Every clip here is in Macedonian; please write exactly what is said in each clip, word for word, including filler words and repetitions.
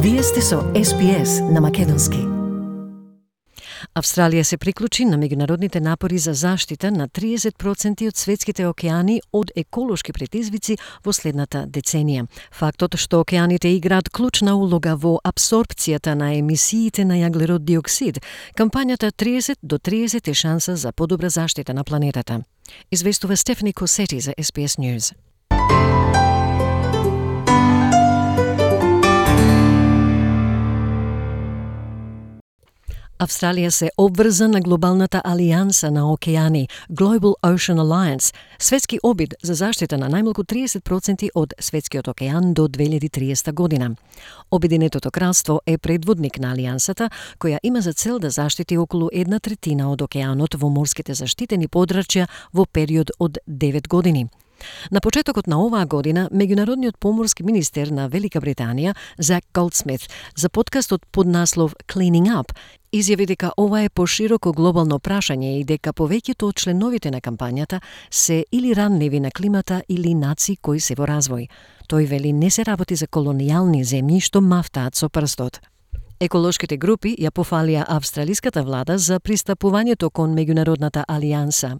Вие сте со Ес Би Ес на Македонски. Австралија се приклучи на меѓународните напори за заштита на триесет проценти од светските океани од еколошки предизвици во следната деценија. Фактот што океаните играат клучна улога во апсорбцијата на емисиите на јаглерод диоксид, кампањата триесет до триесет е шанса за подобра заштита на планетата. Известува Стефани Косети за Ес Би Ес News. Австралија се обврза на глобалната алијанса на океани, Global Ocean Alliance, светски обид за заштита на најмалку триесет проценти од светскиот океан до две илјади и триесета година. Обединетото кралство е предводник на алијансата, која има за цел да заштити околу една третина од океанот во морските заштитени подрачја во период од девет години. На почетокот на оваа година, меѓународниот поморски министер на Велика Британија, Зак Голдсмит, за подкастот под наслов Cleaning Up, изјави дека ова е пошироко глобално прашање и дека повеќето од членовите на кампањата се или ранливи на климата или нации кои се во развој. Тој вели не се работи за колонијални земји што мафтаат со прстот. Еколошките групи ја пофалија австралиската влада за пристапувањето кон меѓународната алијанса.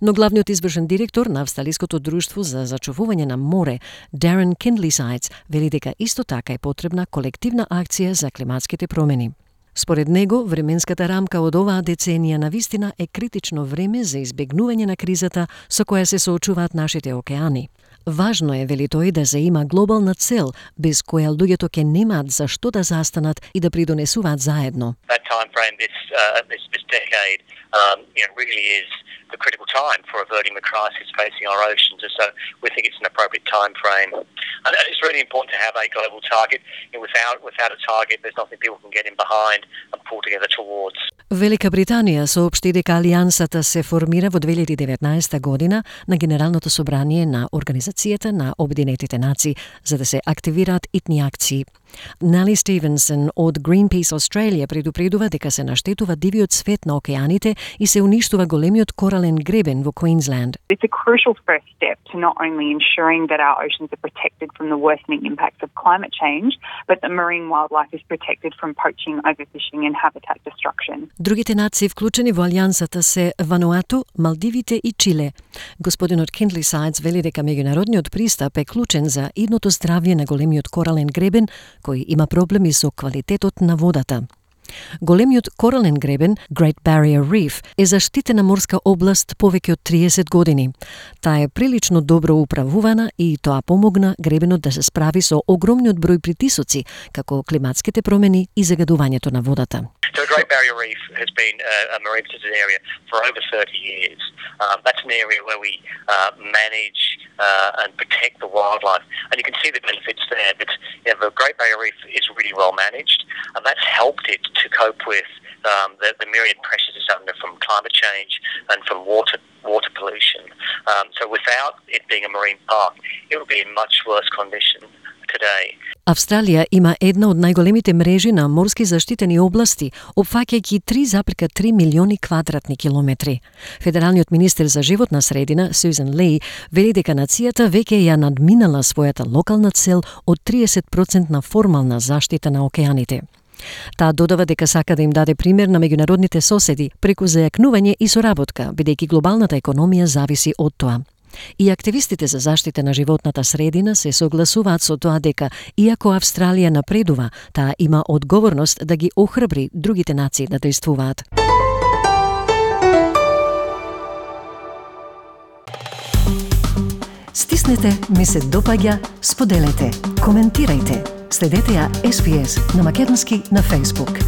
Но главниот извршен директор на Австралиското друштво за зачувување на море, Darren Kindley-Sides, вели дека исто така е потребна колективна акција за климатските промени. Според него, временската рамка од оваа деценија навистина е критично време за избегнување на кризата со која се соочуваат нашите океани. Важно е, вели тој, да се има глобална цел, без која луѓето ќе немаат за што да застанат и да придонесуваат заедно. That time frame this uh, this, this decade um, you know, really is the critical time for averting the crisis facing our oceans, and so we think it's an appropriate time frame. And it's really important to have a global target. You know, without without a target, there's nothing people can get in behind and pull together towards. Велика Британија соопшти дека алијансата се формира во две илјади и деветнаесета година на Генералното собрание на Организацијата на Обединетите нации за да се активираат итни акции. Нели Стивенсон од Greenpeace Australia предупредува дека се наштетува дивиот свет на океаните и се уништува големиот корален гребен во Queensland. It's a crucial first step to not only ensuring that our oceans are protected from the worsening impacts of climate change, but that marine wildlife is protected from poaching, overfishing and habitat destruction. Другите нации вклучени во алијансата се Вануату, Малдивите и Чиле. Господинот Kindley-Sides вели дека меѓународниот пристап е клучен за идното здравје на големиот корален гребен, кој има проблеми со квалитетот на водата. Големиот корален гребен, Great Barrier Reef, е заштитена морска област повеќе од триесет години. Таа е прилично добро управувана и тоа помогна гребенот да се справи со огромниот број притисоци, како климатските промени и загадувањето на водата. So the Great Barrier Reef has been uh, a marine protected area for over thirty years. Um, that's an area where we uh, manage uh, and protect the wildlife. And you can see the benefits there. But you know, the Great Barrier Reef is really well managed, and that's helped it to cope with um, the, the myriad pressures it's under from climate change and from water water pollution. Um, so without it being a marine park, it would be in much worse condition today. Австралија има една од најголемите мрежи на морски заштитени области, опфаќајќи три запирка три милиони квадратни километри. Федералниот министер за животна средина, Сюзан Ли, вели дека нацијата веќе ја надминала својата локална цел од триесет проценти на формална заштита на океаните. Таа додава дека сака да им даде пример на меѓународните соседи преку зајакнување и соработка, бидејќи глобалната економија зависи од тоа. И активистите за заштита на животната средина се согласуваат со тоа дека, иако Австралија напредува, таа има одговорност да ги охрабри другите нации да действуваат. Стиснете, ми се допаѓа, споделете, коментирајте. Следете ја Ес Би Ес на Македонски на Facebook.